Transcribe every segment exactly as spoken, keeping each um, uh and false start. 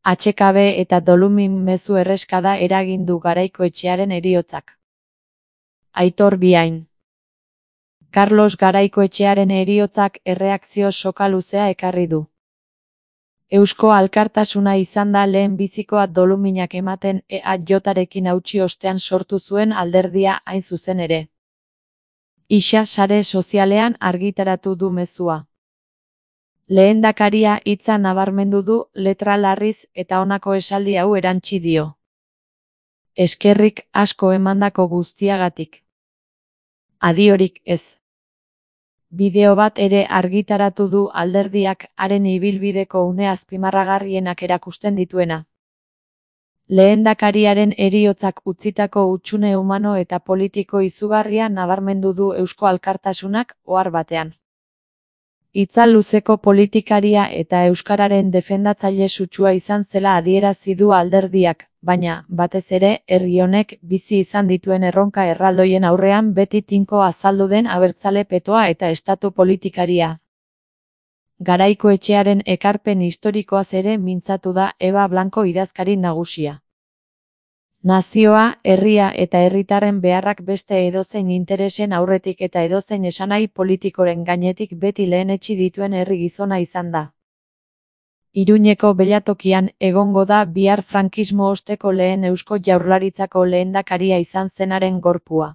Atsekabe eta dolumin mezu erreskada eragin du Garaikoetxearen heriotzak. Aitor Biain. Carlos Garaikoetxearen heriotzak erreakzio soka luzea ekarri du. Eusko Alkartasuna izan da lehen bizikoa doluminak ematen E A J-rekin hautsi ostean sortu zuen alderdia hain zuzen ere. Isa sare sozialean argitaratu du mezua. Lehendakaria hitza nabarmendu du letra larriz eta honako esaldi hau erantsi dio. Eskerrik asko emandako guztiagatik. Adiorik ez. Bideo bat ere argitaratu du alderdiak haren ibilbideko une azpimarragarrienak erakusten dituena. Lehendakariaren heriotzak utzitako hutsune humano eta politiko izugarria nabarmendu du Eusko Alkartasunak ohar batean. Hitza luzeko politikaria eta euskararen defendatzaile sutsua izan zela adierazi du alderdiak, baina, batez ere, herri honek bizi izan dituen erronka erraldoien aurrean beti tinko azaldu den abertzale petoa eta estatu politikaria. Garaikoetxearen ekarpen historikoaz ere mintzatu da Eba Blanco idazkari nagusia. Nazioa, herria eta herritarren beharrak beste edozein interesen aurretik eta edozein esanahi politikoren gainetik beti lehenetsi dituen herri gizona izan da. Iruñeko belatokian egongo da bihar frankismo osteko lehen Eusko Jaurlaritzako lehendakaria izan zenaren gorpua.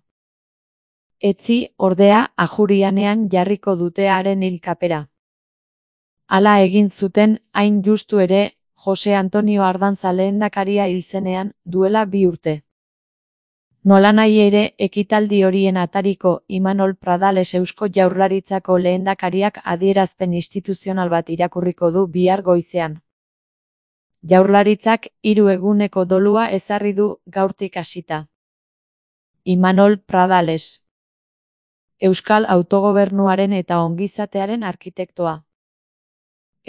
Etzi, ordea, Ajurianean jarriko dute haren hilkapera. Hala egin zuten, hain justu ere, Jose Antonio Ardanza lehendakaria hil zenean, duela bi urte. Nolanahi ere, ekitaldi horien atariko Imanol Pradales Eusko Jaurlaritzako lehendakariak adierazpen instituzional bat irakurriko du bihar goizean. Jaurlaritzak hiru eguneko dolua ezarri du gaurtik hasita. Imanol Pradales. Euskal autogobernuaren eta ongizatearen arkitektoa.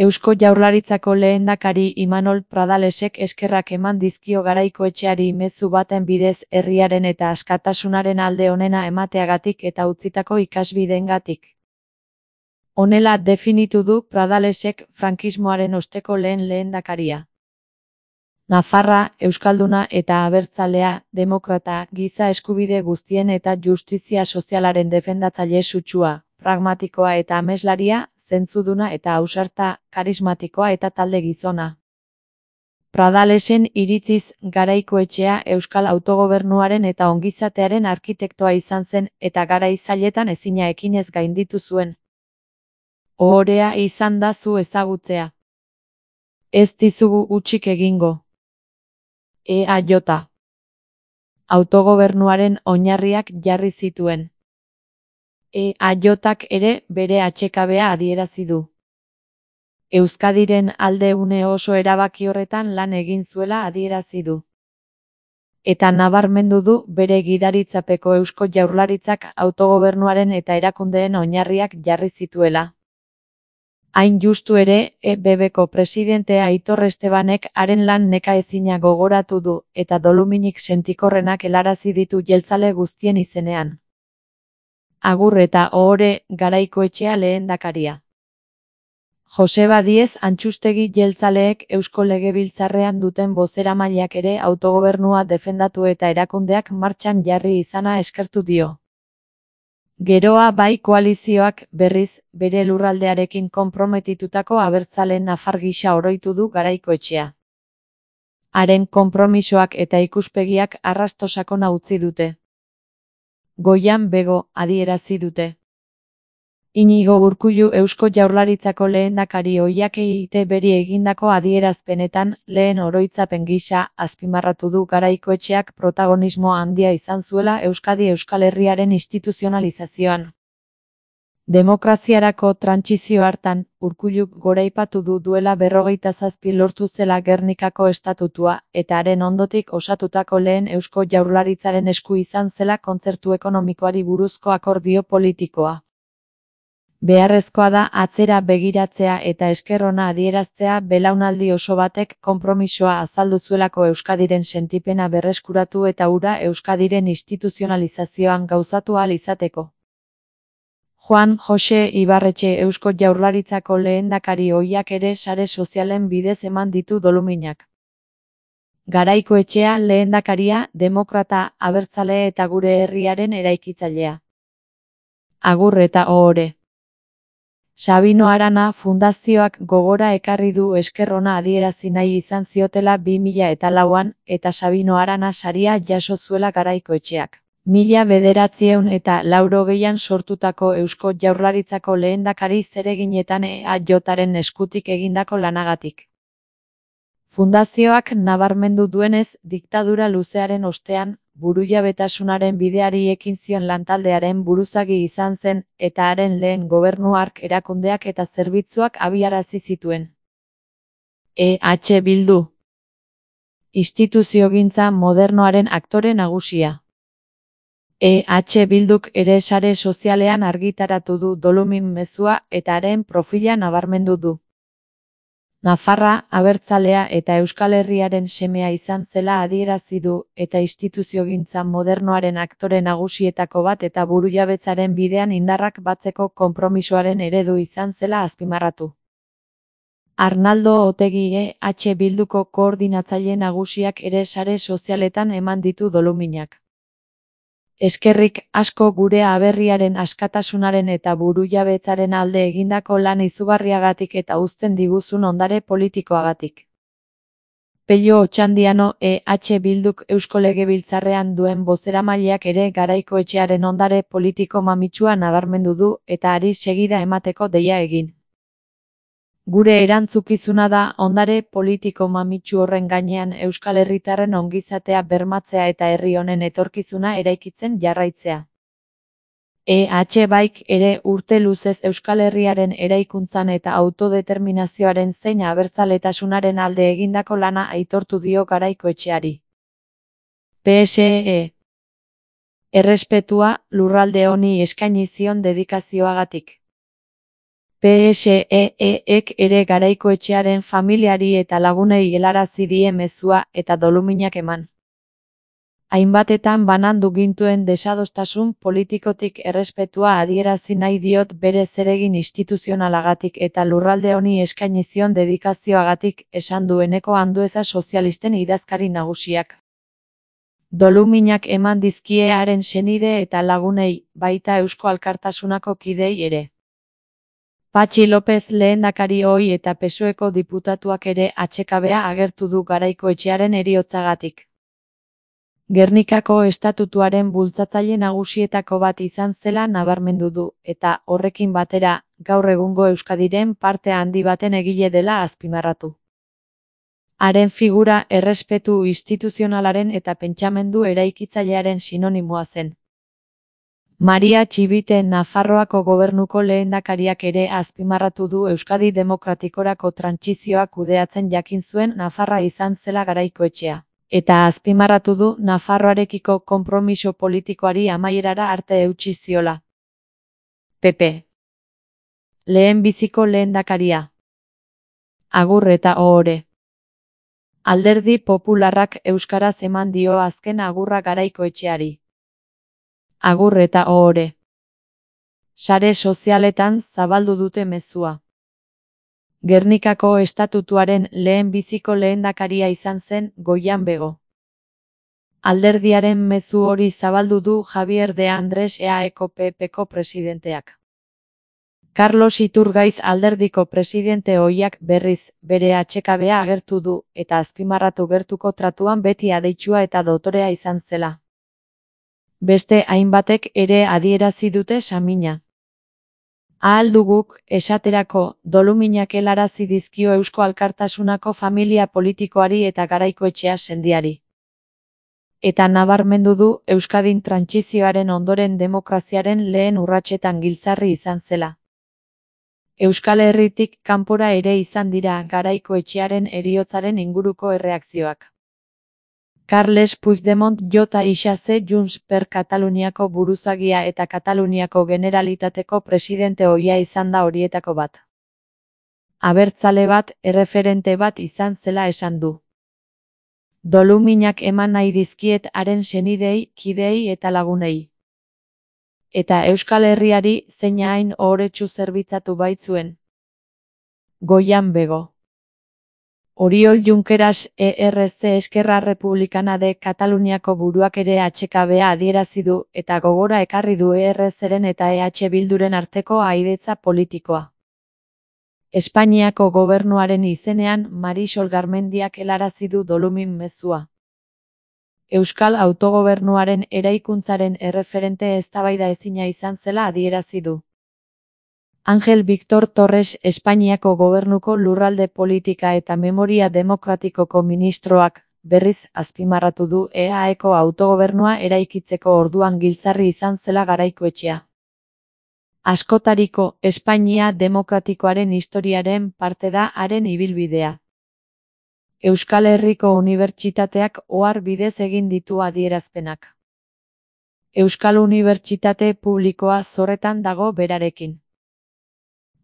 Eusko Jaurlaritzako lehendakari Imanol Pradalesek eskerrak eman dizkio Garaikoetxeari mezu baten bidez herriaren eta askatasunaren alde onena emateagatik eta utzitako ikasbideengatik. Honela definitu du Pradalesek frankismoaren osteko lehen lehendakaria. Nafarra, euskalduna eta abertzalea, demokrata, giza eskubide guztien eta justizia sozialaren defendatzaile sutsua, pragmatikoa eta ameslaria, zentzuduna eta ausarta, karismatikoa eta talde gizona. Pradalesen iritziz Garaikoetxea Euskal autogobernuaren eta ongizatearen arkitektoa izan zen eta garai zailetan ezina ekinez gainditu zuen. Ohorea izan da zu ezagutzea. Ez dizugu hutsik egingo. E A J. Autogobernuaren oinarriak jarri zituen. E A J-ak ere bere atsekabea adierazi du. Euskadiren alde une oso erabaki horretan lan egin zuela adierazi du. Eta nabarmendu du bere gidaritzapeko Eusko Jaurlaritzak autogobernuaren eta erakundeen oinarriak jarri zituela. Hain justu ere, E B B-ko presidentea Aitor Estebanek haren lan nekaezina gogoratu du eta doluminik sentikorrenak helarazi ditu jeltzale guztien izenean. Agur eta ohore Garaikoetxea lehendakaria. Joseba Diez Antxustegi jeltzaleek Eusko Legebiltzarrean duten bozeramaileak ere autogobernua defendatu eta erakundeak martxan jarri izana eskertu dio. Geroa bai koalizioak, berriz, bere lurraldearekin konprometitutako abertzale nafar gisa oroitu du Garaikoetxea. Haren konpromisoak eta ikuspegiak arrasto sakona utzi dute. Goian bego, adierazi dute. Inigo Urkullu Eusko Jaurlaritzako lehendakari ohiakei E I T B-ri egindako adierazpenetan, lehen oroitzapen gisa, azpimarratu du Garaikoetxeak protagonismo handia izan zuela Euskadi Euskal Herriaren instituzionalizazioan. Demokraziarako trantsizio hartan, Urkulluk goraipatu du duela berrogeita zazpi lortu zela Gernikako estatutua, eta haren ondotik osatutako lehen Eusko Jaurlaritzaren esku izan zela kontzertu ekonomikoari buruzko akordio politikoa. Beharrezkoa da atzera begiratzea eta esker ona adieraztea belaunaldi oso batek konpromisoa azaldu zuelako Euskadiren sentipena berreskuratu eta hura Euskadiren instituzionalizazioan gauzatu ahal izateko. Juan Jose Ibarretxe Eusko Jaurlaritzako lehendakari ohiak ere sare sozialen bidez eman ditu doluminak. Garaikoetxea lehendakaria, demokrata, abertzale eta gure herriaren eraikitzailea. Agur eta ohore. Sabino Arana Fundazioak gogora ekarri du esker ona adierazi nahi izan ziotela bi mila eta lauan, eta Sabino Arana saria jaso zuela Garaikoetxeak. Mila bederatziehun eta laurogeian sortutako Eusko Jaurlaritzako lehendakari zereginetan E A Jaren eskutik egindako lanagatik. Fundazioak nabarmendu duenez, diktadura luzearen ostean, burujabetasunaren bideari ekin zion lantaldearen buruzagi izan zen, eta haren lehen gobernu hark erakundeak eta zerbitzuak abiarazi zituen. E H Bildu. Instituziogintza modernoaren aktore nagusia. E H Bilduk ere sare sozialean argitaratu du dolumin mezua eta haren profila nabarmendu du. Nafarra, abertzalea eta Euskal Herriaren semea izan zela adierazi du eta instituziogintza modernoaren aktore nagusietako bat eta burujabetzaren bidean indarrak batzeko konpromisoaren eredu izan zela azpimarratu. Arnaldo Otegi E H Bilduko koordinatzaile nagusiak ere sare sozialetan eman ditu doluminak. Eskerrik asko gure aberriaren askatasunaren eta burujabetzaren alde egindako lan izugarriagatik eta uzten diguzun ondare politikoagatik. Pello Otxandiano E H Bilduk Eusko Legebiltzarrean duen bozeramaileak ere Garaikoetxearen ondare politiko mamitsua nabarmendu du eta hari segida emateko deia egin. Gure erantzukizuna da ondare politiko mamitsu horren gainean Euskal Herritarren ongizatea bermatzea eta herri honen etorkizuna eraikitzen jarraitzea. E H Baik ere urte luzez Euskal Herriaren eraikuntzan eta autodeterminazioaren zein abertzaletasunaren alde egindako lana aitortu dio Garaikoetxeari. P S E. Errespetua lurralde honi eskaini zion dedikazioagatik. P S E ek ere Garaikoetxearen familiari eta lagunei helarazi die mezua eta doluminak eman. Hainbatetan banandu gintuen desadostasun politikotik errespetua adierazi nahi diot bere zeregin instituzionalagatik eta lurralde honi eskaini zion dedikazioagatik, esan du Eneko Andueza sozialisten idazkari nagusiak. Doluminak eman dizkie haren senide eta lagunei, baita Eusko Alkartasunako kidei ere. Patxi López lehendakari ohi eta P S O Eko diputatuak ere atsekabea agertu du Garaikoetxearen heriotzagatik. Gernikako estatutuaren bultzatzaile nagusietako bat izan zela nabarmendu du, eta horrekin batera, gaur egungo Euskadiren parte handi baten egile dela azpimarratu. Haren figura errespetu instituzionalaren eta pentsamendu eraikitzailearen sinonimoa zen. Maria Txibite Nafarroako gobernuko lehendakariak ere azpimarratu du Euskadi demokratikorako trantsizioa kudeatzen jakin zuen Nafarra izan zela Garaikoetxea, eta azpimarratu du Nafarroarekiko konpromiso politikoari amaierara arte eutsi ziola. P P. Lehenbiziko lehendakaria. Agur eta ohore. Alderdi Popularrak euskaraz eman dio azken agurra Garaikoetxeari. Agur eta ohore. Sare sozialetan zabaldu dute mezua. Gernikako estatutuaren lehenbiziko lehendakaria izan zen Goian Bego. Alderdiaren mezu hori zabaldu du Javier de Andrés E A Eko P Pko presidenteak. Carlos Iturgaiz alderdiko presidente ohiak berriz, bere atsekabea agertu du, eta azpimarratu gertuko tratuan beti adeitsua eta dotorea izan zela. Beste hainbatek ere adierazi dute samina. Ahal duguk, esaterako, doluminak helarazi dizkio Eusko Alkartasunako familia politikoari eta Garaikoetxea sendiari. Eta nabarmendu du Euskadin trantsizioaren ondoren demokraziaren lehen urratsetan giltzarri izan zela. Euskal Herritik kanpora ere izan dira Garaikoetxearen heriotzaren inguruko erreakzioak. Carles Puigdemont J isa ze Junts per Kataluniako buruzagia eta Kataluniako Generalitateko presidente ohia izan da horietako bat. Abertzale bat, erreferente bat izan zela esan du. Doluminak eman nahi dizkiet haren senidei, kidei eta lagunei. Eta Euskal Herriari zein hain ohoretsu zerbitzatu baitzuen. Goian Bego. Oriol Junqueras E R C Esquerra Republicana de Kataluniako buruak ere H K B-a adierazi du eta gogora ekarri du E R C-ren eta E H Bilduren arteko aidetza politikoa. Espainiako gobernuaren izenean Marisol Garmendiak helarazi du dolumin mezua. Euskal autogobernuaren eraikuntzaren erreferente eztabaida ezina izan zela adierazi du. Ángel Víctor Torres Espainiako gobernuko lurralde politika eta memoria demokratikoko ministroak, berriz azpimarratu du E A Eko autogobernua eraikitzeko orduan giltzarri izan zela Garaikoetxea. Askotariko Espainia demokratikoaren historiaren parte da haren ibilbidea. Euskal Herriko Unibertsitateak ohar bidez egin ditu adierazpenak. Euskal Unibertsitate publikoa zorretan dago berarekin.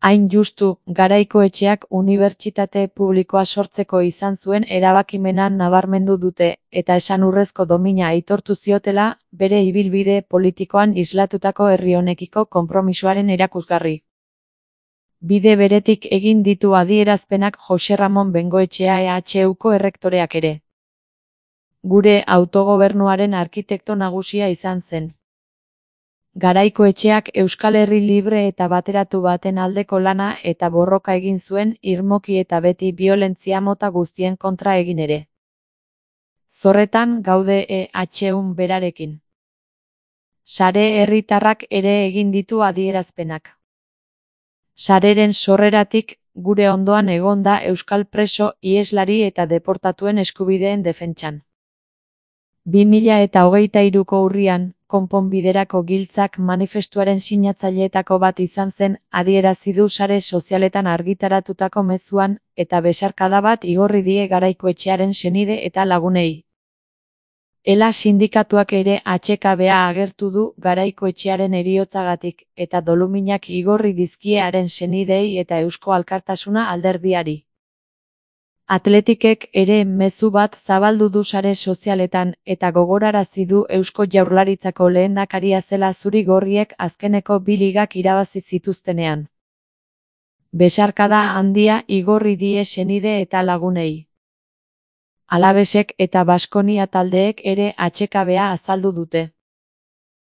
Hain justu, Garaikoetxeak unibertsitate publikoa sortzeko izan zuen erabakimena nabarmendu dute, eta esanurrezko domina aitortu ziotela, bere ibilbide politikoan islatutako herri honekiko konpromisoaren erakusgarri. Bide beretik egin ditu adierazpenak Jose Ramon Bengoetxea E H Uko errektoreak ere. Gure autogobernuaren arkitekto nagusia izan zen. Garaikoetxeak Euskal Herri libre eta bateratu baten aldeko lana eta borroka egin zuen irmoki eta beti biolentzia mota guztien kontra egin ere. Zorretan gaude E H Un berarekin. Sare herritarrak ere egin ditu adierazpenak. Sareren sorreratik, gure ondoan egonda euskal preso, iheslari eta deportatuen eskubideen defentsan. bi mila eta hogeita hiruko urrian, konponbiderako giltzak manifestuaren sinatzaileetako bat izan zen, adierazi du sare sozialetan argitaratutako mezuan, eta besarkada bat igorri die Garaikoetxearen senide eta lagunei. Ela sindikatuak ere H K B-a agertu du Garaikoetxearen heriotzagatik, eta doluminak igorri dizkie haren senidei eta Eusko Alkartasuna alderdiari. Atletikek ere mezu bat zabaldu du sare sozialetan eta gogorarazi du Eusko Jaurlaritzako lehendakaria zela zuri-gorriek azkeneko bi ligak irabazi zituztenean. Besarkada handia igorri die senide eta lagunei. Alabesek eta Baskonia taldeek ere H K B-a azaldu dute.